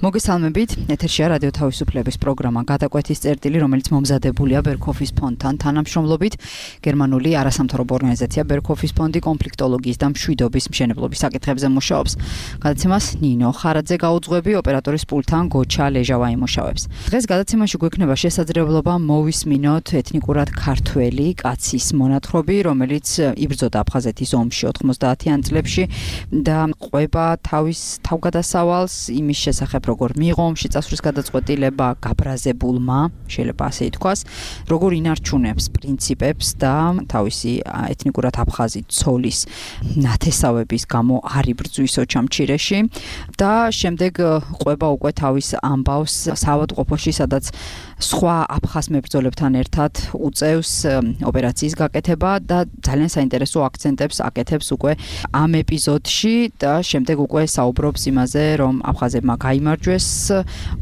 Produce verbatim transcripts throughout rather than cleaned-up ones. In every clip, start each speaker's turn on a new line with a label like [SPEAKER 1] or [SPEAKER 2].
[SPEAKER 1] მოგესალმებით, ეთერშია რადიო თავისუფლების პროგრამა გადაკვეთის წერტილი, რომელიც მომზადებულია ბერქოფის ფონდთან თანამშრომლობით. გერმანული არასამთავრობო ორგანიზაცია ბერქოფის ფონდი კონფლიქტოლოგიის და მშვიდობის მშენებლობის საკითხებზე მუშაობს. გადაცემას ნინო ხარაძე გაუძღვები, ოპერატორის პულტთან გოჩა ლეჟავა იმუშავებს. დღეს გადაცემაში გვექნება შესაძლებლობა მოვისმინოთ ეთნიკურად ქართველი კაცის მონათხრობი, რომელიც იბრძოდა აფხაზეთის ომში ოთხმოცდაათიან წლებში და ყვება თავის თავგადასავალს იმის შესახებ როგორ მიიღო ომში წასვლის გადაწყვეტილება გაბრაზებულმა, შეიძლება ასე ითქვას, როგორ ინარჩუნებს პრინციპებს და თავისი ეთნიკურად აფხაზი ცოლის ნათესავების გამო არ იბრძვის ოჩამჩირეში და შემდეგ ყვება უკვე თავის ამბავს საავადმყოფოში, სადაც სხვა აფხაზ მებრძოლებთან ერთად უწევს ოპერაციის გაკეთება და ძალიან საინტერესო აქცენტებს აკეთებს უკვე ამ ეპიზოდში და შემდეგ უკვე საუბრობს იმაზე, რომ აფხაზებმა გაიმარჯვეს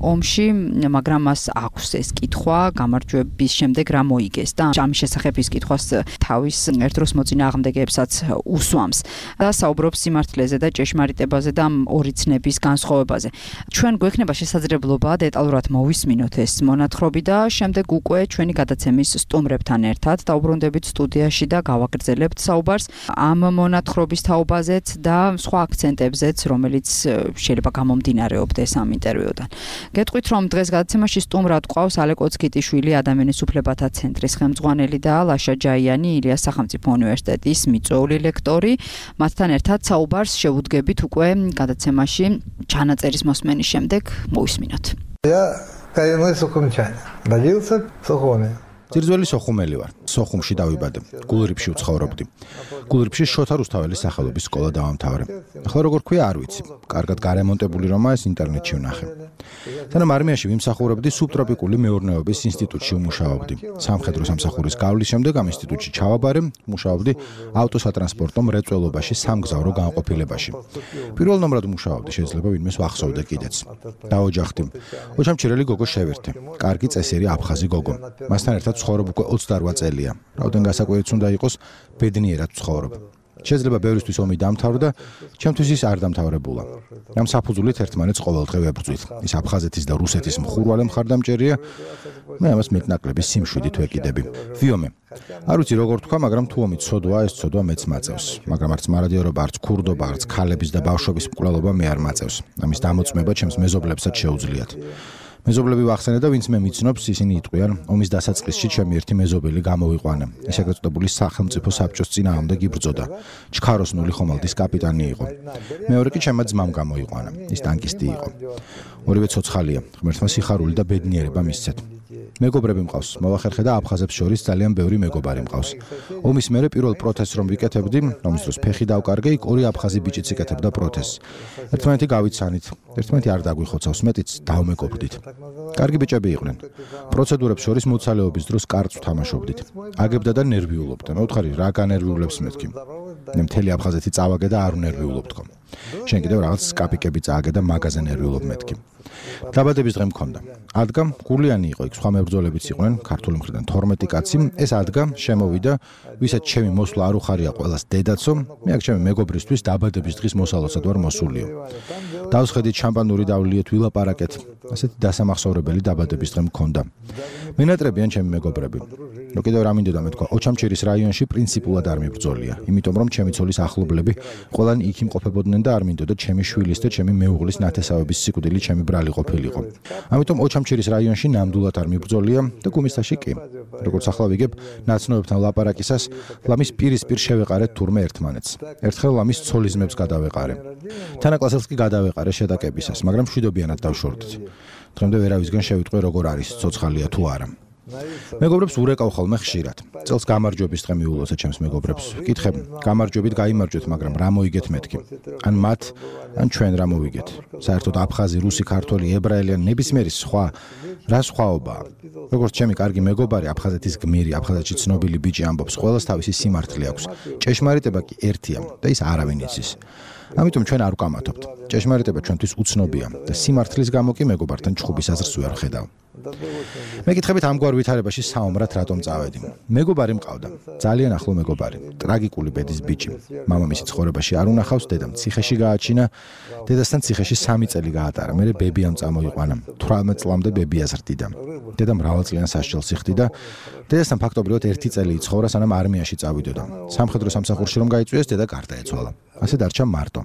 [SPEAKER 1] ომში, მაგრამ მას აქვს ეს კითხვა გამარჯვების შემდეგ რა მოიგეს და ამის შესახებ ის კითხვას თავის ერთდროს მოწინააღმდეგეებსაც უსვამს და საუბრობს სიმართლეზე და ჭეშმარიტებაზე და ორი ცნების განსხვავებაზე. ჩვენ გვექნება შესაძლებლობა დეტალურად მოვისმინოთ ეს მონათხრობი და შემდეგ უკვე ჩვენი გადაცემის სტუმრებთან ერთად დაუბრუნდებით სტუდიაში და გავაგრძელებთ საუბარს ამ მონათხრობის თაობაზეც და სხვა აქცენტებზეც, რომელიც შეიძლება გამომდინარეობდეს ამ ინტერვიუდან. გეტყვით, რომ დღეს გადაცემაში სტუმრად ყავს ალე კოცკიტიშვილი, ადამიანის უფლებათა ცენტრის ხელმძღვანელი და ლაშა ჯაიანი, ილიას სახელმწიფო უნივერსიტეტის მიწვეული ლექტორი. მათთან ერთად საუბარს შევუდგებით უკვე გადაცემაში ჩანაწერის მოსმენის შემდეგ. მოვისმინოთ.
[SPEAKER 2] ძირძველი სოხუმელი ვარ. სოხუმში დავიბადე. გულრიფში ვცხოვრობდი. გულრიფში შოთა რუსთაველის სახელობის სკოლა დავამთავრე. ახლა როგორ ქვია არ ვიცი. კარგად გარემონტებული რომა ეს ინტერნეტში ვნახე. თანამ არმიაში ვიმსახურებდი სუბტროპიკული მეურნეობის ინსტიტუტში ვმუშაობდი. სამხედრო სამსახურის გავლის შემდეგ ამ ინსტიტუტში ჩავაბარე, მუშაობდი ავტოსატრანსპორტო მრეწველობაში სამგზავრო განყოფილებაში. პირველ ნომრად მუშაობდი, შეიძლება ვინმეს ვახსოვდე კიდეც. დაოჯახდი. ოჩამჩირელი გოგო შევერთე. კარგი წესიერი აფხაზი გოგო. მასთან ერთად ცხოვრობ უკვე ოცდარვა წელია. რაოდენ გასაკვირიც უნდა იყოს, ბედნიერად ვცხოვრობ. შეიძლება ბევრისთვის ომი დამთავრდა, ჩემთვის ის არ დამთავრებულა. ამ საფუძვლით ერთმანეთს ყოველდღე ვებრძვით. ის აფხაზეთის და რუსეთის მხურვალე მხარდამჭერია, მე ამას მეტნაკლების სიმშვიდით ვეკიდები. ვიომე. არ ვიცი როგორ თქვა, მაგრამ თუ ომი ცოდვაა, ეს ცოდვა მეც მაწევს. მაგრამ არც მარადიორობა, არც ქურდობა, არც ქალების და ბავშვების მკვლელობა მე არ მაწევს. ამის დამოწმება ჩემს მეზობლებსაც შეუძლიათ. მეზობლები ვახსენე და ვინც მე მიცნობს, ისინი იტყვიან, ომის დასაწყისში ჩემი ერთი მეზობელი გამოვიყვანა. ის ეგრეთ წოდებული სახელმწიფო საბჭოს წინააღმდეგ იბრძოდა. ჩქაროსნული ხომალდის კაპიტანი იყო. მეორე კი ჩემმა ძმამ გამოიყვანა. ის ტანკისტი იყო. ორივე ცოცხალია. ღმერთმა სიხარული და ბედნიერება მისცეთ. მეგობრები მყავს. მოვახერხე და აფხაზებს შორის ძალიან ბევრი მეგობარი მყავს. ომის მერე პირველ პროტესტს რომ ვიკეთებდი, რომის დროს ფეხი დავკარგე, იქ ორი აფხაზი ბიჭიც იკეთებდა პროტესტს. ერთმანეთი გავიცანით, ერთმანეთი არ დაგვიხოცავს, მეტიც დავმეგობრდით. კარგი ბიჭები იყვნენ. პროცედურებს შორის მოცალეობის დროს კარწ ვთამაშობდით. აგებდა და ნერვიულობდა. მე ვთხარი, რა განერვიულებს მეთქი. მე მთელი აფხაზეთი წავაგე და არ ვნერვიულობ თქო. შენ კიდევ რაღაც სკაპიკები წააგე და მაგაზე ნერვიულობ მეთქი. დაბადების დღე მქონდა. ადგა გულიანი იყო, იქ სხვა მებრძოლებიც იყვნენ, ქართული მხრიდან თორმეტი კაცი. ეს ადგა შემოვიდა, ვისაც ჩემი მოსვლა არ უხარია ყველას დედაცო, მე აქ ჩემი მეგობრისთვის დაბადების დღის მოსალოცად ვარ მოსულიო. დავსხედით შამპანური დავლიეთ, ვილაპარაკეთ. ასეთი დასამახსოვრებელი დაბადების დღე მქონდა. მენატრებიან ჩემი მეგობრები. რო კიდევ რა მინდოდა მეთქვა, ოჩამჩირის რაიონში პრინციპულად არ მიბრძოლია, იმიტომ რომ ჩემი ცოლის ახლობლები ყველანი იქ იმყოფებოდნენ და არ მინდოდა ჩემი შვილის და ჩემი მეუღლის ნათესავების სიკვდილი ჩემი ბრალი ყოფილიყო. ამიტომ ოჩამჩირის რაიონში ნამდვილად არ მიბრძოლია და გუმისთაში კი. როგორც ახლა ვიგებ, ნაცნობებთან ლაპარაკისას ლამის პირისპირ შევეყარეთ თურმე ერთმანეთს. ერთხელ ლამის ცოლის ძმებს გადავეყარე. თანაკლასელს კი გადავეყარე შედაკებისას, მაგრამ მშვიდობიანად დავშორდით. დღემდე ვერავისგან შევიტყვე როგორ არის, ცოცხალია თუ არა. მეგობრებს ურეკავ ხოლმე ხშირად. წელს გამარჯვების დღე მიულოცე ჩემს მეგობრებს. ვკითხებ, გამარჯვებით გაიმარჯვეთ, მაგრამ რა მოიგეთ მეთქი? ან მათ, ან ჩვენ რა მოვიგეთ? საერთოდ აფხაზი, რუსი, ქართველი, ებრაელი ან ნებისმიერი სხვა რა სხვაობაა? როგორც ჩემი კარგი მეგობარი, აფხაზეთის გმირი, აფხაზეთში ცნობილი ბიჭი ამბობს, ყველას თავისი სიმართლე აქვს. ჭეშმარიტება კი ერთია და ის არავინ იცის. ამიტომ ჩვენ არ ვკამათობთ. ჭეშმარიტება ჩვენთვის უცნობია და სიმართლის გამო კი მეგობართან ჩხუბის აზრს ვერ ვხედავ. მეკითხებით ამგვარ ვითარებაში საომრად რატომ წავედი. მეგობარი მყავდა, ძალიან ახლო მეგობარი, ტრაგიკული ბედის ბიჭი. მამამისი ცხოვრებაში არ უნახავს, დედამ ციხეში გააჩინა, დედასთან ციხეში სამი წელი გაატარა, მერე ბებიამ წამოიყვანა. თვრამეტ წლამდე ბებია ზრდიდა. დედა მრავალწლიან სასჯელს იხდიდა. დედასთან ფაქტობრივად ერთი წელი იცხოვრა, სანამ არმიაში წავიდოდა. სამხედრო სამსახურში რომ გაიწვიეს, დედა გარდაეცვალა. ასე დარჩა მარტო.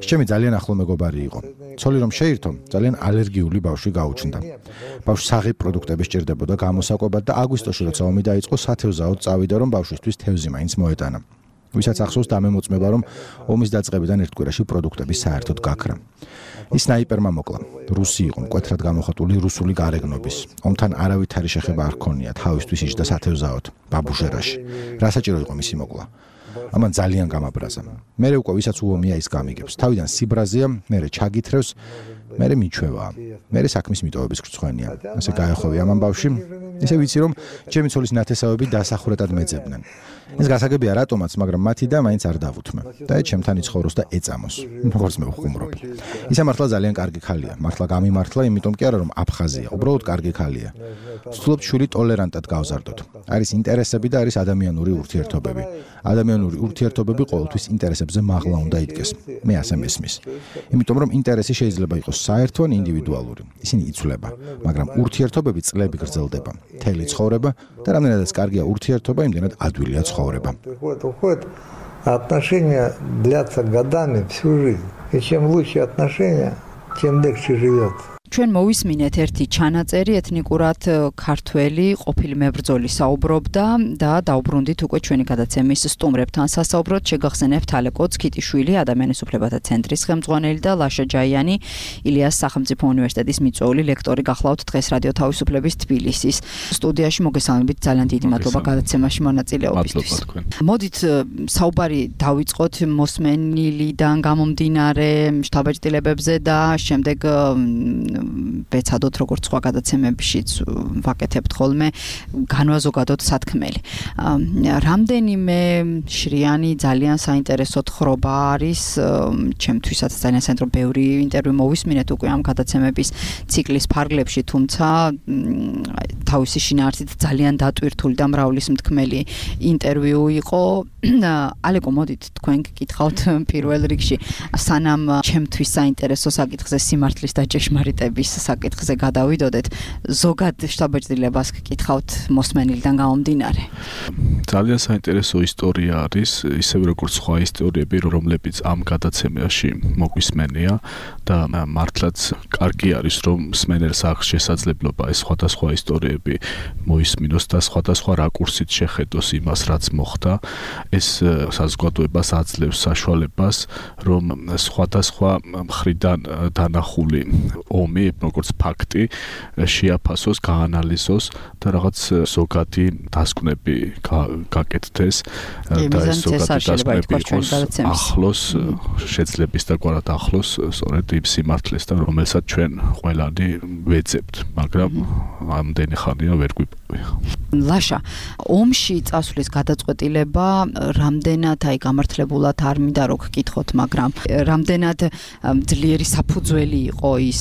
[SPEAKER 2] ის ჩემი ძალიან ახლო მეგობარი იყო. ცოლი რომ შეირთო, ძალიან ალერგიული ბავშვი გაუჩნდა. ბავშვს საღი პროდუქტები სჭირდებოდა გამოსაკვებად და აგვისტოში როცა ომი დაიწყო, სათევზაოდ წავიდა, რომ ბავშვისთვის თევზი მაინც მოეტანა. ვისაც ახსოვს დამემოწმება, რომ ომის დაწყებიდან ერთ კვირაში პროდუქტები საერთოდ გაქრა. ის სნაიპერმა მოკლა. რუსი იყო, მკვეთრად გამოხატული რუსული გარეგნობის. ომთან არავითარი შეხება არ ჰქონია, თავისთვის იჯდა სათევზაოდ, ბაბუჟერაში. რა საჭირო იყო მისი მოკლა? ამან ძალიან გამაბრაზა. მერე უკვე ვისაც უომია ის გამიგებს. თავიდან სიბრაზეა, მერე ჩაგითრევს, მერე მიჩვევაა. მერე საქმის მიტოვების გრცხვენია. ასე გაეხოვი ამან ბავში. ისე ვიცი რომ ჩემი ცოლის ნათესავები დასახურეთად მეძებდნენ. ეს გასაგებია რატომაც, მაგრამ მათი და მაინც არ დავუთმე. და ჩემთან იცხოვროს და ეწამოს. როგორც მე ვხუმრობ. ისა მართლა ძალიან კარგი ხალია. მართლა გამიმართლა, იმიტომ კი არა რომ აფხაზია, უბრალოდ კარგი ხალია. ვცდილობთ შვილი ტოლერანტად გავზარდოთ. არის ინტერესები და არის ადამიანური ურთიერთობები. ადამიანური ურთიერთობები ყოველთვის ინტერესებზე მაღლა უნდა იდგეს. მე ასე მესმის. იმიტომ რომ ინტერესი შეიძლება იყოს საერთო ან ინდივიდუალური. ისინი იცვლება, მაგრამ ურთიერთობები წლები გრძელდება. მთელი ცხოვრება და რამდენადაც კარგია ურთიერთობა, იმდენად ადვილია ცხოვრება.
[SPEAKER 3] Отношения длятся годами, всю жизнь. И чем лучше отношения, тем легче живется.
[SPEAKER 1] ჩვენ მოვისმინეთ ერთი ჩანაწერი ეთნიკურად ქართველი ყოფილი მებრძოლი საუბრობდა და დაუბრუნდით უკვე ჩვენი გადაცემის სტუმრებთან სასაუბროდ შეგახსენებთ ალე კოცკიტიშვილი ადამიანის უფლებათა ცენტრის ხელმძღვანელი და ლაშა ჯაიანი ილიას სახელმწიფო უნივერსიტეტის მიწვეული ლექტორი გახლავთ დღეს რადიო თავისუფლების თბილისის სტუდიაში მოგესალმებით ძალიან დიდი მადლობა გადაცემაში მონაწილეობისთვის. მოდით საუბარი დავიწყოთ მოსმენილიდან გამომდინარე შთაბეჭდილებებზე და შემდეგ ბეცადოთ როგორც სხვა გადაცემებშიც ვაკეთებთ ხოლმე განვაზოგადოთ სათქმელი. რამდენიმე შრიანი ძალიან საინტერესო თხრობა არის ჩემთვისაც ძალიან საინტერესო ბევრი ინტერვიუ მოვისმინეთ უკვე ამ გადაცემების ციკლის ფარგლებში, თუმცა თავისი შინაარსით ძალიან დატვირთული და მრავლისმთქმელი ინტერვიუ იყო. ალეკო მოდით თქვენ გკითხავთ პირველ რიგში სანამ ჩემთვის საინტერესო საკითხზე სიმართლის და ჭეშმარიტების საკითხზე გადავიდოდეთ, ზოგად შთაბეჭდილებას გკითხავთ მოსმენილიდან გამომდინარე.
[SPEAKER 4] ძალიან საინტერესო ისტორია არის, ისევე როგორც სხვა ისტორიები, რომლებიც ამ გადაცემაში მოგვისმენია და მართლაც კარგი არის, რომ მსმენელს აქვს შესაძლებლობა ეს სხვადასხვა ისტორიები მოისმინოს და სხვადასხვა რაკურსით შეხედოს იმას, რაც მოხდა. ეს საზოგადოებას აძლევს საშუალებას, რომ სხვადასხვა მხრიდან დანახული ომი, როგორც ფაქტი, შეაფასოს, გაანალიზოს და რაღაც ზოგადი დასკვნები გაკეთდეს და ეს ზოგადი დასკვნები იყოს ახლოს, შეძლების და გვარად ახლოს სწორედ იმ სიმართლესთან, რომელსაც ჩვენ ყველანი ვეძებთ, მაგრამ ამდენი ხანია ვერ გვიპოვია.
[SPEAKER 1] ლაშა, ომში წასვლის გადაწყვეტილება რამდენად აი გამართლებულად არ მინდა რო გკითხოთ, მაგრამ რამდენად ძლიერი საფუძველი იყო ის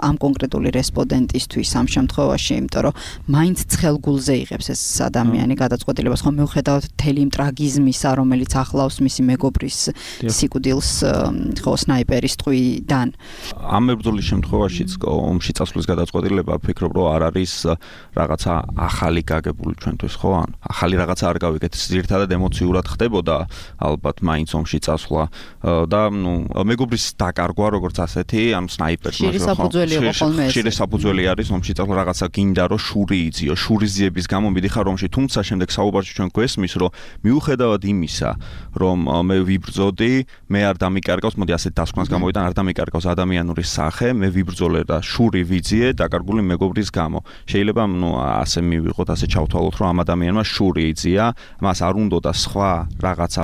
[SPEAKER 1] ამ კონკრეტული რესპონდენტისთვის ამ შემთხვევაში, იმიტომ რომ მაინც ცხელგულზე იღებს ეს ადამიანი გადაწყვეტილებას, ხომ მიუხედავად მთელი იმ ტრაგიზმისა, რომელიც ახლავს მისი მეგობრის სიკვდილს ხო სნაიპერის ტყვიდან.
[SPEAKER 5] ამ მებრძოლის შემთხვევაშიც ომში წასვლის გადაწყვეტილება ვფიქრობ, რომ არ არის რაღაცა ახალი გაგებული ჩვენთვის, ხო? ან ახალი რაღაცა არ გავიგეთ, ძირითადად ემოციურად ხდებოდა ალბათ მაინც ომში წასვლა და ნუ მეგობრის დაკარგვა როგორც ასეთი, ან სნაიპერს ხშირი საფუძველი არის ომში წასვლა, რაღაცა გინდა რომ შური იწიო, შურიზიების გამო მიდიხარ ომში, თუმცა შემდეგ საუბარში ჩვენ გვესმის, რომ მიუხედავად იმისა, რომ მე ვიბრძოდი, მე არ დამიკარგავს, მოდი ასეთ დასკვნას გამოვიდა, არ დამიკარგავს ადამიანური სახე, მე ვიბრძოლე და შური ვიძიე დაკარგული მეგობრის გამო. შეიძლება ნუ ასე მივიღოთ, ასე ჩავთვალოთ, რომ ამ ადამიანმა შური იწია, მას არ უნდოდა სხვა რაღაცა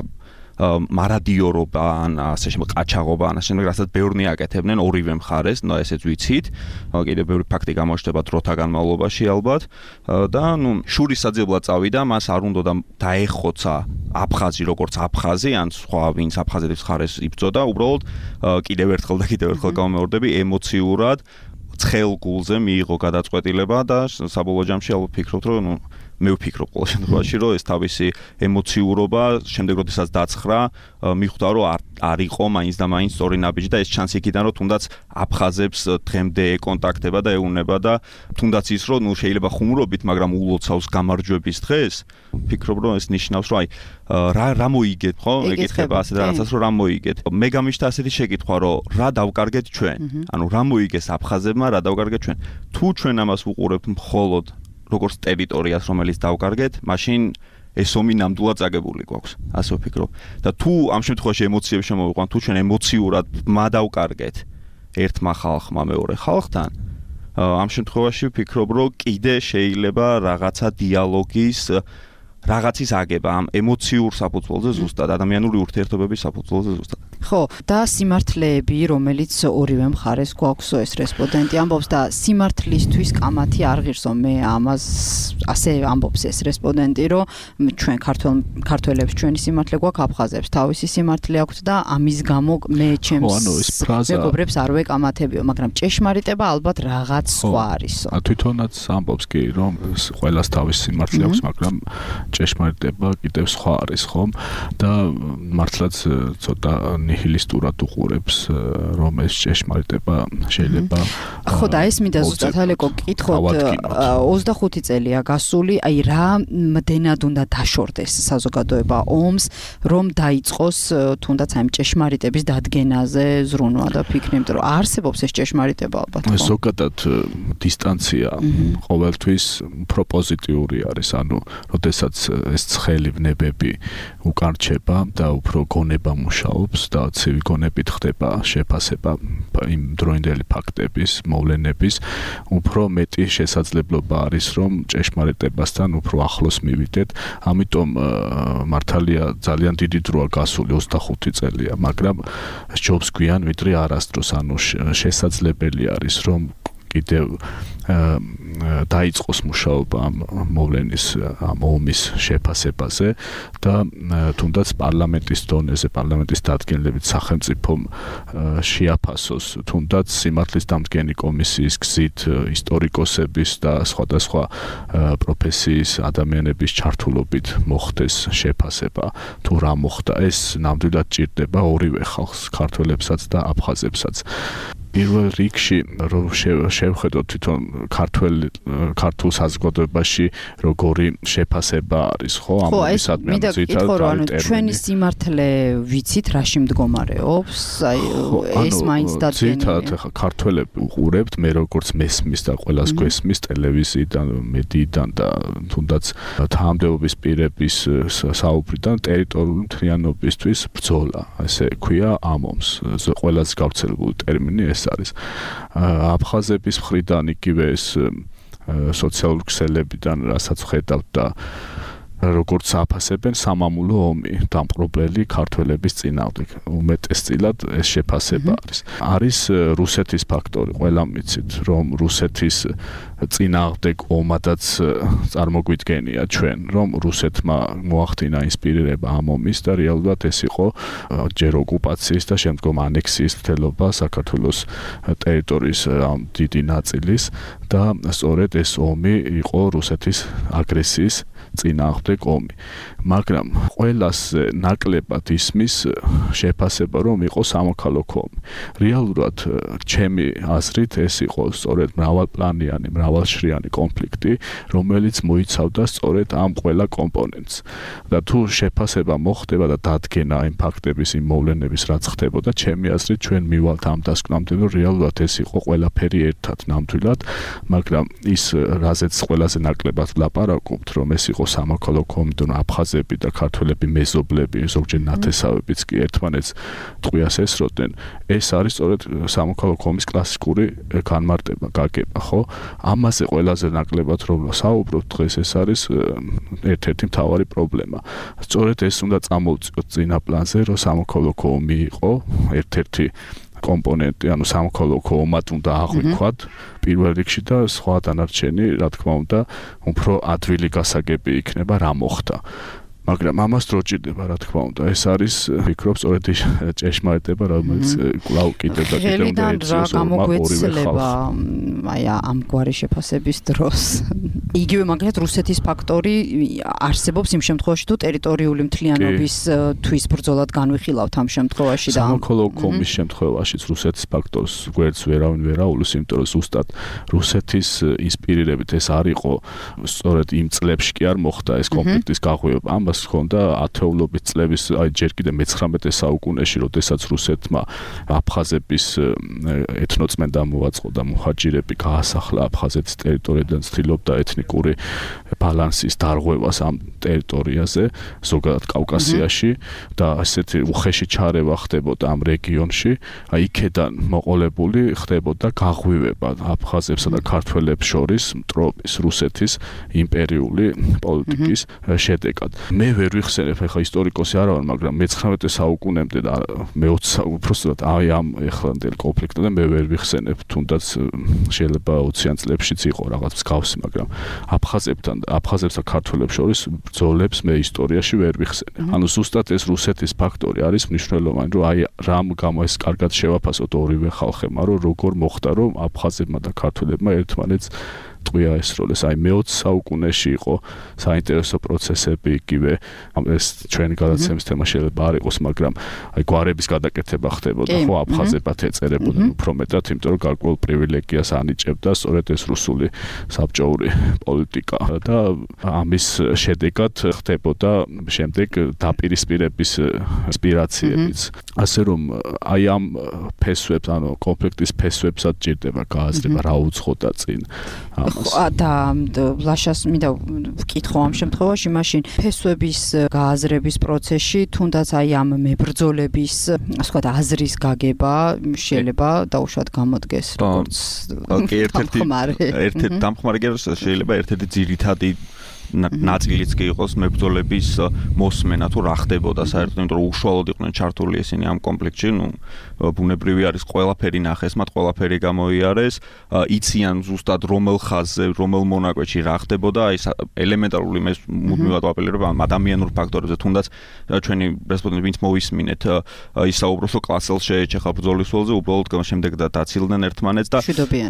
[SPEAKER 5] მარადიორობა ან ასე შემდეგ ყაჩაღობა ან ასე შემდეგ რასაც ბევრნი აკეთებდნენ ორივე მხარეს, ნუ ესეც ვიცით. კიდევ ბევრი ფაქტი გამოჩნდება დროთა განმავლობაში ალბათ და ნუ შურისაძებლად წავიდა, მას არ უნდა დაეხოცა აფხაზი როგორც აფხაზი ან სხვა ვინც აფხაზეთის მხარეს იბრძოდა, უბრალოდ კიდევ ერთხელ და კიდევ ერთხელ გამეორდები ემოციურად ცხელ გულზე მიიღო გადაწყვეტილება და საბოლოო ჯამში ალბათ ფიქრობთ, რომ ნუ მე ვფიქრობ ყოველ შემთხვევაში, რომ ეს თავისი ემოციურობა შემდეგ როდესაც დაცხრა, მიხვდა, რომ არ არ იყო მაინც და მაინც სწორი ნაბიჯი და ეს ჩანს იქიდან, რომ თუნდაც აფხაზებს დღემდე ეკონტაქტება და ეუნება და თუნდაც ის, რომ ნუ შეიძლება ხუმრობით, მაგრამ ულოცავს გამარჯვების დღეს, ვფიქრობ, რომ ეს ნიშნავს, რომ აი რა რა მოიგეთ, ხო? ეკითხება ასეთ რაღაცას, რომ რა მოიგეთ. მე გამიშთა ასეთი შეკითხვა, რომ რა დავკარგეთ ჩვენ? ანუ რა მოიგეს აფხაზებმა, რა დავკარგეთ ჩვენ? თუ ჩვენ ამას ვუყურებთ მხოლოდ როგორც ტერიტორიას, რომელიც დავკარგეთ, მაშინ ეს ომი ნამდვილად წაგებული გვაქვს, ასე ვფიქრობ. და თუ ამ შემთხვევაში ემოციებს შემოვიყვანთ, თუ ჩვენ ემოციურად მადავკარგეთ ერთმა ხალხმა მეორე ხალხთან, ამ შემთხვევაში ვფიქრობ, რომ კიდე შეიძლება რაღაცა დიალოგის რაღაცის აგება ამ ემოციურ საფუძველზე ზუსტად, ადამიანური ურთიერთობების საფუძველზე ზუსტად.
[SPEAKER 1] ხო, და სიმართლეები, რომელიც ორივე მხარეს გვაქვს, ეს რესპონდენტი ამბობს და სიმართლისთვის კამათი არ ღირსო, მე ამას ასე ამბობს ეს რესპონდენტი, რომ ჩვენ ქართველ ქართველებს ჩვენი სიმართლე გვაქვს, აფხაზებს თავისი სიმართლე აქვთ და ამის გამო მე ჩემს მეგობრებს არ ვეკამათებიო, მაგრამ ჭეშმარიტება ალბათ რაღაც სხვა არისო.
[SPEAKER 4] თვითონაც ამბობს კი, რომ ყველას თავისი სიმართლე აქვს, მაგრამ ჭეშმარიტება კიდევ სხვა არის, ხომ? და მართლაც ცოტა ნიჰილისტურად უყურებს, რომ ეს ჭეშმარიტება შეიძლება
[SPEAKER 1] ხო და ეს მინდა ზუსტად ალეკო გკითხოთ, ოცდახუთი წელია გასული, აი რა მდენად უნდა დაშორდეს საზოგადოება ომს, რომ დაიწყოს თუნდაც აი ჭეშმარიტების დადგენაზე ზრუნვა და ფიქრი, იმიტომ რომ არსებობს ეს ჭეშმარიტება ალბათ.
[SPEAKER 4] ზოგადად დისტანცია ყოველთვის უფრო პოზიტიური არის, ანუ როდესაც ეს ცხელი ვნებები უკან რჩება და უფრო გონება მუშაობს და ცივი გონებით ხდება შეფასება იმ დროინდელი ფაქტების, მოვლენების, უფრო მეტი შესაძლებლობა არის, რომ ჭეშმარიტებასთან უფრო ახლოს მივიდეთ. ამიტომ მართალია ძალიან დიდი დროა გასული, ოცდახუთი წელია, მაგრამ ჯობს გვიან ვიდრე არასდროს, ანუ შესაძლებელი არის, რომ კიდევ დაიწყოს მუშაობა ამ მოვლენის, ამ ომის შეფასებაზე და თუნდაც პარლამენტის დონეზე, პარლამენტის დადგენილებით სახელმწიფომ შეაფასოს თუნდაც სიმართლის დამდგენი კომისიის გზით ისტორიკოსების და სხვადასხვა პროფესიის ადამიანების ჩართულობით მოხდეს შეფასება, თუ რა მოხდა, ეს ნამდვილად ჭირდება ორივე ხალხს, ქართველებსაც და აფხაზებსაც. პირველ რიგში რომ შევხედოთ თვითონ ქართულ ქართულ საზოგადოებაში როგორი შეფასება არის, ხო, ამ მისადმე
[SPEAKER 1] ძირითადად ჩვენი სიმართლე ვიცით რაში მდგომარეობს, აი ეს მაინც დადგენილია.
[SPEAKER 4] ძირითადად ქართველები უყურებთ, მე როგორც მესმის და ყველას გვესმის ტელევიზიიდან, მედიიდან და თუნდაც თანამდებობის პირების საუბრიდან ტერიტორიული მთლიანობისთვის ბრძოლა, ასე ქვია ამ ომს. ყველას გავრცელებული ტერმინი ეს არის. აფხაზების მხრიდან იგივე ეს სოციალური ქსელებიდან რასაც ხედავთ და როგორც აფასებენ სამამულო ომი დამპყრობლელი ქართველების წინააღმდეგ. უმეტესწილად ეს შეფასება არის. არის რუსეთის ფაქტორი, ყველამ ვიცით, რომ რუსეთის წინააღმდეგ ომადაც წარმოგვიდგენია ჩვენ, რომ რუსეთმა მოახდინა ინსპირირება ამ ომის და რეალურად ეს იყო ჯერ ოკუპაციის და შემდგომ ანექსიის მცდელობა საქართველოს ტერიტორიის დიდი ნაწილის და სწორედ ეს ომი იყო რუსეთის აგრესიის წინააღმდეგ ომი. მაგრამ ყველას ნაკლებად ისმის შეფასება, რომ იყო სამოქალაქო ომი. რეალურად ჩემი აზრით ეს იყო სწორედ მრავალპლანიანი, მრავალშრიანი კონფლიქტი, რომელიც მოიცავდა სწორედ ამ ყველა კომპონენტს. და თუ შეფასება მოხდება და დადგენა იმ ფაქტების, იმ მოვლენების, რაც ხდებოდა, ჩემი აზრით ჩვენ მივალთ ამ დასკვნამდე, რომ რეალურად ეს იყო ყველაფერი ერთად ნამდვილად, მაგრამ ის რაზეც ყველაზე ნაკლებად ვლაპარაკობთ, რომ ეს იყო სამოქალაქო სამოქალაქო ომი, აფხაზები და ქართველები მეზობლები, ზოგჯერ ნათესავებიც კი ერთმანეთს ტყვიას ესროდნენ. ეს არის სწორედ სამოქალაქო ომის კლასიკური განმარტება, გაგება, ხო? ამაზე ყველაზე ნაკლებად რომ საუბრობთ დღეს, ეს არის ერთ-ერთი მთავარი პრობლემა. სწორედ ეს უნდა წამოვწიოთ წინა პლანზე, რომ სამოქალაქო ომი იყო ერთ-ერთი კომპონენტი, ანუ სამოქალაქო ომად უნდა აღვიქვათ პირველ რიგში და სხვა დანარჩენი, რა თქმა უნდა, უფრო ადვილი გასაგები იქნება რა მოხდა. მაგრამ ამას დრო ჭირდება, რა თქმა უნდა. ეს არის, ვფიქრობ, სწორედ ის ჭეშმარიტება, რომელიც კვლავ კიდევ და კიდევ უნდა ეცეს ორივე ხალხს.
[SPEAKER 1] აი ამგვარი შეფასების დროს. იგივე მაგალითად რუსეთის ფაქტორი არსებობს იმ შემთხვევაში, თუ ტერიტორიული მთლიანობის თვის ბრძოლად განვიხილავთ ამ შემთხვევაში და
[SPEAKER 4] სამოქალაქო ომის შემთხვევაშიც რუსეთის ფაქტორს გვერდს ვერავინ ვერ აულის, იმიტომ რომ ზუსტად რუსეთის ინსპირირებით ეს არ იყო სწორედ იმ წლებში კი არ მოხდა ეს კონფლიქტის გაღვივება. ამას ხონდა ათეულობით წლების, აი ჯერ კიდე მეცხრამეტე საუკუნეში, როდესაც რუსეთმა აფხაზების ეთნოწმენდა მოაწყო და მუჰაჯირები გაასახლა აფხაზეთის ტერიტორიიდან, ცდილობდა ეთნიკური ბალანსის დარღვევას ამ ტერიტორიაზე, ზოგადად კავკასიაში და ასეთი უხეში ჩარევა ხდებოდა ამ რეგიონში. აი იქედან მოყოლებული ხდებოდა გაღვივება აფხაზებსა და ქართველებს შორის მტრობის რუსეთის იმპერიული პოლიტიკის შედეგად. მე ვერ ვიხსენებ, ახლა ისტორიკოსი არ ვარ, მაგრამ მეცხრამეტე საუკუნემდე და მეოცე უბრალოდ აი ამ ეხლანდელ კონფლიქტამდე მე ვერ ვიხსენებ, თუნდაც შეიძლება ოციან წლებშიც იყო რაღაც მსგავსი, მაგრამ აფხაზებთან აფხაზებს და ქართველებს შორის ბრძოლებს მე ისტორიაში ვერ ვიხსენებ. ანუ ზუსტად ეს რუსეთის ფაქტორი არის მნიშვნელოვანი, რომ აი რამ გამო ეს კარგად შევაფასოთ ორივე ხალხებმა, რომ როგორ მოხდა, რომ აფხაზებმა და ქართველებმა ერთმანეთს ტყვია ესროლეს. აი მეოცე საუკუნეში იყო საინტერესო პროცესები, იგივე ეს ჩვენი გადაცემის თემა შეიძლება არ იყოს, მაგრამ აი გვარების გადაკეთება ხდებოდა, ხო, აფხაზებად ეწერებოდნენ უფრო მეტად, იმიტომ რომ გარკვეულ პრივილეგიას ანიჭებდა სწორედ ეს რუსული საბჭოური პოლიტიკა და ამის შედეგად ხდებოდა შემდეგ დაპირისპირების ინსპირაციებიც. ასე რომ აი ამ ფესვებს, ანუ კონფლიქტის ფესვებსაც ჭირდება გააზრება, რა უძღოდა წინ.
[SPEAKER 1] და ლაშას მინდა ვკითხო ამ შემთხვევაში, მაშინ ფესვების გააზრების პროცესში, თუნდაც აი ამ მებრძოლების, ასე ვთქვათ, აზრის გაგება შეიძლება დაუშვათ გამოდგეს, როგორც
[SPEAKER 5] ერთ-ერთი ერთ-ერთი დამხმარე შეიძლება ერთ-ერთი ძირითადი ნაწილიც კი იყოს მებრძოლების მოსმენა, თუ რა ხდებოდა საერთოდ, იმიტომ რომ უშუალოდ იყვნენ ჩართული ისინი ამ კონფლიქტში, ნუ ბუნებრივი არის ყველაფერი ნახეს, მათ ყველაფერი გამოიარეს, იციან ზუსტად რომელ ხაზზე, რომელ მონაკვეთში რა ხდებოდა, აი ელემენტარული მე მუდმივად ვაპელირებ ამ ადამიანურ ფაქტორებზე, თუნდაც ჩვენი რესპონდენტი ვინც მოვისმინეთ, ისაუბროს რომ კლასელს შეეჩეხა ბრძოლის ველზე, უბრალოდ შემდეგ დაცილდნენ ერთმანეთს და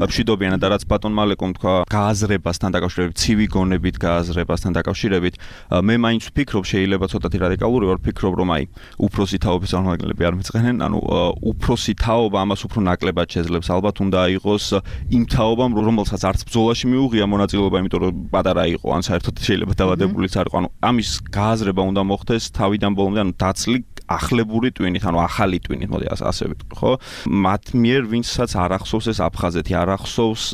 [SPEAKER 5] მშვიდობიანად და რაც ბატონ მალეკომ თქვა, გააზრებასთან დაკავშირებით, ცივი გონებით გააზრება თან დაკავშირებით მე მაინც ვფიქრობ, შეიძლება ცოტათი რადიკალური ვარ, ვფიქრობ რომ აი უფროსი თაობის წარმომადგენლები არ მიწყენენ, ანუ უფროსი თაობა ამას უფრო ნაკლებად შეძლებს, ალბათ უნდა იყოს იმ თაობამ, რომელსაც არც ბრძოლაში მიუღია მონაწილეობა, იმიტომ რომ პატარა იყო, ან საერთოდ შეიძლება დავადებულიც არ იყო, ანუ ამის გააზრება უნდა მოხდეს თავიდან ბოლომდე, ანუ დაცლი ახლებური ტვინით, ანუ ახალი ტვინით, მოდი ასე ვიტყვი, ხო? მათ მიერ ვინცაც არ ახსოვს ეს აფხაზეთი, არ ახსოვს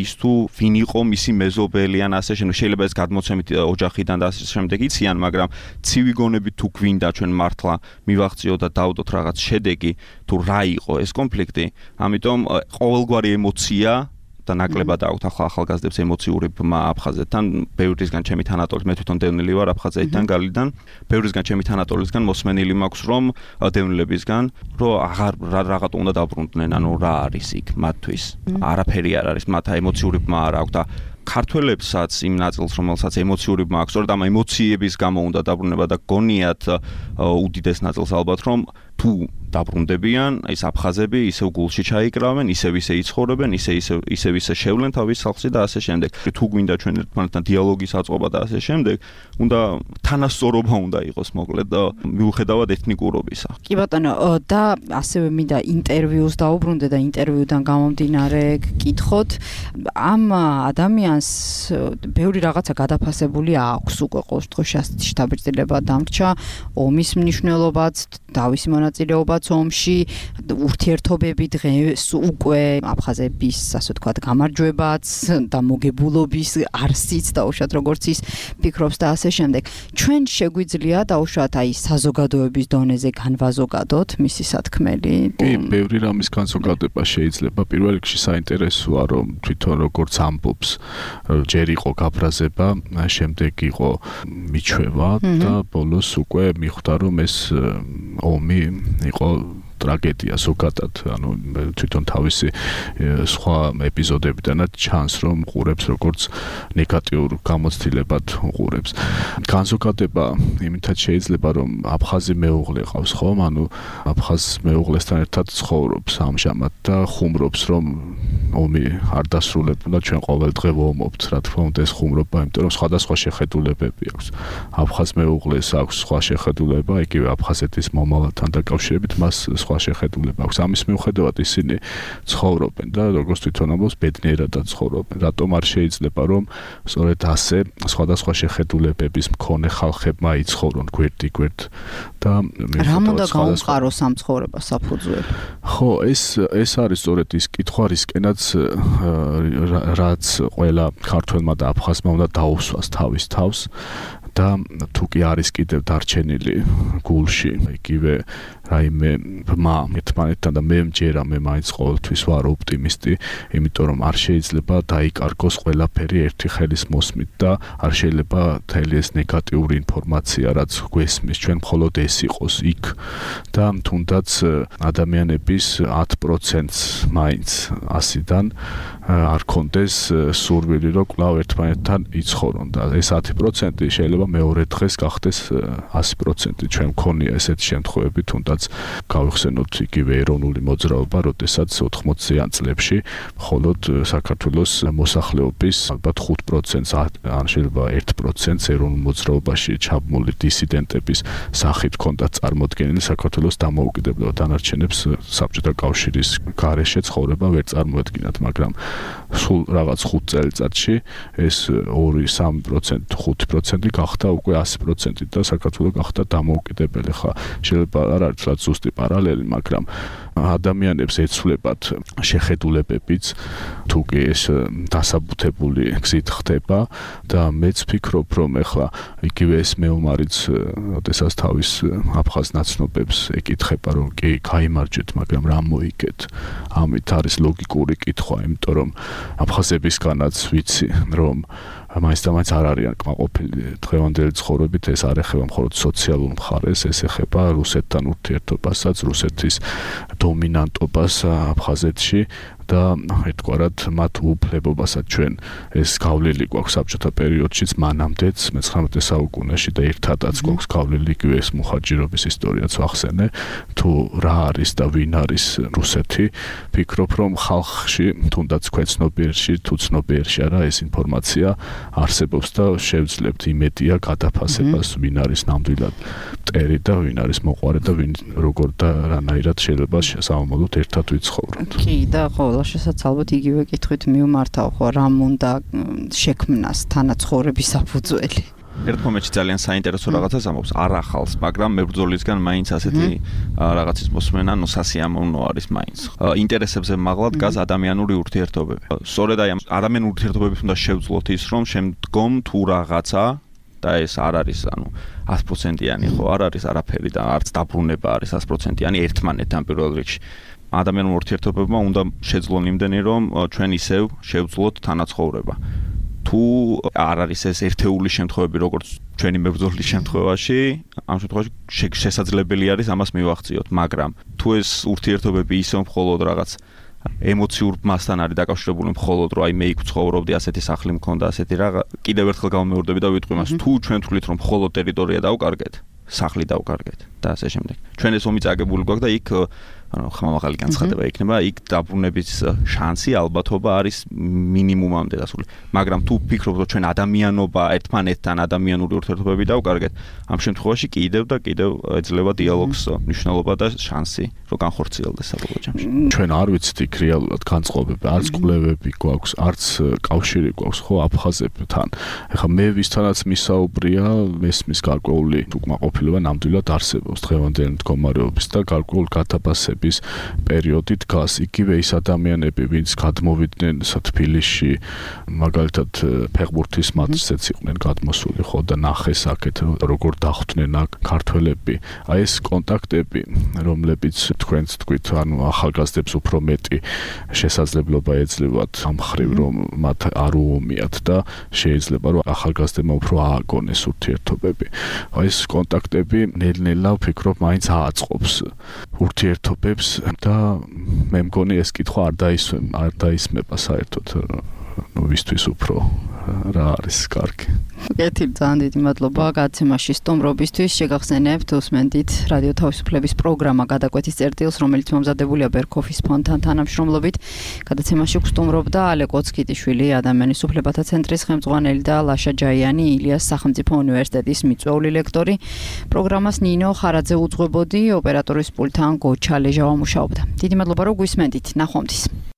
[SPEAKER 5] ის თუ ვინ იყო მისი მეზობელი ან ასე შემდეგ, შეიძლება ეს გადმოცემით ოჯახიდან და ასე შემდეგ იციან, მაგრამ ცივი გონებით თუ გვინდა ჩვენ მართლა მივაღწიოთ და დავდოთ რაღაც შედეგი, თუ რა იყო ეს კონფლიქტი, ამიტომ ყოველგვარი ემოცია და ნაკლებად აქვთ ახლა ახალგაზრდებს ემოციური ბმა აფხაზეთთან, ბევრისგან ჩემი თანატოლის, მე თვითონ დევნილი ვარ აფხაზეთიდან, გალიდან, ბევრისგან ჩემი თანატოლისგან მოსმენილი მაქვს, რომ დევნილებისგან, რომ აღარ რაღაცა უნდა დაბრუნდნენ, ანუ რა არის იქ მათთვის, არაფერი არ არის, მათ ემოციური ბმა არ აქვს და ქართველებსაც იმ ნაწილს, რომელსაც ემოციური ბმა აქვს, სწორედ ამ ემოციების გამო უნდა დაბრუნება და გონიათ უდიდეს ნაწილს ალბათ, რომ თუ დაბრუნდებიან, ეს აფხაზები ისევ გულში ჩაიკრავენ, ისევ ისე იცხოვრებენ, ისე ისე ისევ ისე შევლენ თავის სახლში და ასე შემდეგ. თუ გვინდა ჩვენ ერთმანეთთან დიალოგის აწყობა და ასე შემდეგ, უნდა თანასწორობა უნდა იყოს, მოკლედ, მიუხედავად ეთნიკურობისა.
[SPEAKER 1] კი ბატონო, და ასევე მინდა ინტერვიუს დაუბრუნდე და ინტერვიუდან გამომდინარე გკითხოთ, ამ ადამიანს ბევრი რაღაცა გადაფასებული აქვს უკვე ყოველ შემთხვევაში შთაბეჭდილება დამრჩა, ომის მნიშვნელობაც, თავისი მონაწილეობაც როცა ომში ურთიერთობები დღეს უკვე აფხაზების ასე ვთქვათ გამარჯვებაც და მოგებულობის არსიც დაუშვათ როგორც ის ფიქრობს და ასე შემდეგ. ჩვენ შეგვიძლია დაუშვათ აი საზოგადოების დონეზე განვაზოგადოთ მისი სათქმელი.
[SPEAKER 4] კი, ბევრი რამის განზოგადება შეიძლება. პირველ რიგში საინტერესოა რომ თვითონ როგორც ამბობს ჯერ იყო გაფრაზება, შემდეგ იყო მიჩვევა და ბოლოს უკვე მიხვდა რომ ეს ომი იყო ტრაგედია ზოგადად, ანუ თვითონ თავისი სხვა ეპიზოდებიდანაც ჩანს რომ ყურებს როგორც ნეგატიურ გამოცდილებად უყურებს. განზოგადება იმითაც შეიძლება რომ აფხაზი მეუღლე ყავს ხომ, ანუ აფხაზ მეუღლესთან ერთად ცხოვრობს ამჟამად და ხუმრობს რომ ომი არ დასრულებულა, ჩვენ ყოველ დღე ვომობთ, რა თქმა უნდა ეს ხუმრობა, იმიტომ რომ სხვადასხვა შეხედულებები აქვს. აფხაზ მეუღლეს აქვს სხვა შეხედულება, იგივე აფხაზეთის მომავალთან დაკავშირებით მას სხვა შეხედულება აქვს. ამის მიუხედავად ისინი ცხოვრობენ და როგორც თვითონ ამბობს, ბედნიერადაც ცხოვრობენ. რატომ არ შეიძლება რომ სწორედ ასე სხვადასხვა შეხედულებების მქონე ხალხებმა იცხოვრონ გვერდ-გვერდ და
[SPEAKER 1] რა უნდა გაუმყაროს ამ ცხოვრებას საფუძველი?
[SPEAKER 4] ხო, ეს ეს არის სწორედ ის კითხვა, რისკენაც რაც ყველა ქართველმა და აფხაზმა უნდა დაუსვას თავის თავს და თუ კი არის კიდევ დარჩენილი გულში იგივე რაიმე ბმა ერთმანეთთან და მე მჯერა მე მაინც ყოველთვის ვარ ოპტიმისტი, იმიტომ რომ არ შეიძლება დაიკარგოს ყველაფერი ერთი ხელის მოსმით და არ შეიძლება მთელი ეს ნეგატიური ინფორმაცია, რაც გვესმის, ჩვენ მხოლოდ ეს იყოს იქ და თუნდაც ადამიანების ათ პროცენტს მაინც ასიდან არ კონდეს სურვილი, რომ კვლავ ერთმანეთთან იცხოვრონ და ეს ათი პროცენტი შეიძლება მეორე დღეს გახდეს ასი პროცენტი. ჩვენ მქონია ესეთი შემთხვევები, თუნდაც გავიხსენოთ იგივე ეროვნული მოძრაობა, როდესაც ოთხმოციან წლებში მხოლოდ საქართველოს მოსახლეობის ალბათ ხუთ პროცენტს ან შეიძლება ერთ პროცენტს ეროვნულ მოძრაობაში ჩაბმული დისიდენტების სახით ჰქონდა წარმოდგენილი საქართველოს დამოუკიდებლობა, დანარჩენებს საბჭოთა კავშირის გარეშე ცხოვრება ვერ წარმოედგინათ, მაგრამ სულ რაღაც ხუთ წელიწადში ეს ორი სამი პროცენტი ხუთი პროცენტი გახდა უკვე ასი პროცენტი და საქართველო გახდა დამოუკიდებელი. ხა შეიძლება არ არის რაც ზუსტი პარალელი, მაგრამ ადამიანებს ეცვლებათ შეხედულებებიც, თუ კი ეს დასაბუთებული გზით ხდება და მეც ფიქრობ, რომ ეხლა იგივე ეს მეომარიც, როდესაც თავის აფხაზ ნაცნობებს ეკითხება, რომ კი გაიმარჯვეთ, მაგრამ რა მოიგეთ? ამით არის ლოგიკური კითხვა, იმიტომ რომ აფხაზებისგანაც ვიცი, რომ მაინც და მაინც არ არიან კმაყოფილი დღევანდელი ცხოვრებით, ეს არ ეხება მხოლოდ სოციალურ მხარეს, ეს ეხება რუსეთთან ურთიერთობასაც, რუსეთის დომინანტობას აფხაზეთში და ერთგვარად მათ უფლებობასაც ჩვენ ეს გავლილი გვაქვს საბჭოთა პერიოდშიც მანამდეც მეცხრამეტე საუკუნეში და ერთადაც გვაქვს გავლილი იგივე ეს მუხაჯირობის ისტორიაც ვახსენე, თუ რა არის და ვინ არის რუსეთი. ფიქრობ, რომ ხალხში, თუნდაც ქვეცნობიერში, თუ ცნობიერში არა ეს ინფორმაცია არსებობს და შევძლებთ იმედია გადაფასებას, ვინ არის ნამდვილად მტერი და ვინ არის მოყვარე და ვინ როგორ და რანაირად შეიძლება სამომავლოდ ერთად ვიცხოვროთ.
[SPEAKER 1] კი და ყოველ შესაძლებლად იგივე კითხვით მივმართავ, ხო, რამ უნდა შექმნას თანაცხოვრების საფუძველი?
[SPEAKER 5] ერთ მომენტში ძალიან საინტერესო რაღაცას ამბობს, არ ახალს, მაგრამ მებრძოლისგან მაინც ასეთი რაღაცის მოსმენა ნოსასიამოვნო არის მაინც. ინტერესებზე მაღლა დგას ადამიანური ურთიერთობები. სწორედ აი ამ ადამიანური ურთიერთობების უნდა შევძლოთ ის, რომ შემდგომ თუ რაღაცა და ეს არ არის, ანუ ათი პროცენტიანი ხო არ არის არაფერი და არც დაბრუნება არის ათი პროცენტიანი ერთმანეთთან პირველ რიგში. ადამიანურ ურთიერთობებმა უნდა შეძლონ იმდენი, რომ ჩვენ ისევ შევძლოთ თანაცხოვრება. თუ არ არის ეს ერთეული შემთხვევები, როგორც ჩვენი მებრძოლის შემთხვევაში, ამ შემთხვევაში შესაძლებელი არის ამას მივახციოთ, მაგრამ თუ ეს ურთიერთობები ისევ მხოლოდ რაღაც ემოციურ მასთან არის დაკავშირებული, მხოლოდ რომ აი მე იქ ცხოვრობდი, ასეთი სახლი მქონდა, ასეთი რა, კიდევ ერთხელ გავმეორდები და ვიტყვი მას, თუ ჩვენ თვლით რომ მხოლოდ ტერიტორია დავკარგეთ, სახლი დავკარგეთ და ასე შემდეგ. ჩვენ ეს ომი წაგებული გვაქვს და იქ ანუ ხმამაღალი განცხადება იქნება, იქ დაბრუნების შანსი ალბათობა არის მინიმუმამდე დასული. მაგრამ თუ ვფიქრობთ, რომ ჩვენ ადამიანობა ერთმანეთთან ადამიანური ურთიერთობები დავკარგეთ, ამ შემთხვევაში კიდევ და კიდევ ეძლევა დიალოგს მნიშვნელობა და შანსი, რომ განხორციელდეს საბოლოო ჯამში.
[SPEAKER 4] ჩვენ არ ვიცით იქ რეალურად განწყობები, არც კვლევები გვაქვს, არც კავშირი გვაქვს ხო აფხაზებთან. ეხლა მე ვისთანაც მისაუბრია, მესმის გარკვეული უკმაყოფილება ნამდვილად არსებობს დღევანდელი მდგომარეობის და გარკვეული გადაფასების პერიოდი დგას. იგივე ის ადამიანები, ვინც გადმოვიდნენ თბილისში, მაგალითად ფეხბურთის მატჩზეც იყვნენ გადმოსული ხო და ნახეს აქეთ როგორ დახვდნენ აქ ქართველები. აი ეს კონტაქტები, რომლებიც თქვენც თქვით, ანუ ახალგაზრდებს უფრო მეტი შესაძლებლობა ეძლევათ ამ ხრივ, რომ მათ არ უომიათ და შეიძლება რომ ახალგაზრდებმა უფრო ააგონეს ურთიერთობები. აი ეს კონტაქტები ნელ-ნელა ვფიქრობ მაინც ააწყობს ურთიერთობებს და მე მგონი ეს კითხვა არ დაისვე არ დაისმება საერთოდ ნუ ვისთვის უფრო რა არის კარგი.
[SPEAKER 1] კეთილი, ძალიან დიდი მადლობა გადაცემაში სტუმრობისთვის. შეგახსენებთ, უსმენთ რადიო თავისუფლების პროგრამა გადაკვეთის წერტილს, რომელიც მომზადებულია ბერქოფის ფონდთან თანამშრომლობით. გადაცემაში გსტუმრობდა ალე კოცკიტიშვილი, ადამიანის უფლებათა ცენტრის ხელმძღვანელი და ლაშა ჯაიანი, ილიას სახელმწიფო უნივერსიტეტის მიწვეული ლექტორი. პროგრამას ნინო ხარაძე უძღვებოდი, ოპერატორის პულტთან გოჩა ლეჟავა მუშაობდა. დიდი მადლობა, რომ გვისმენთ. ნახვამდის.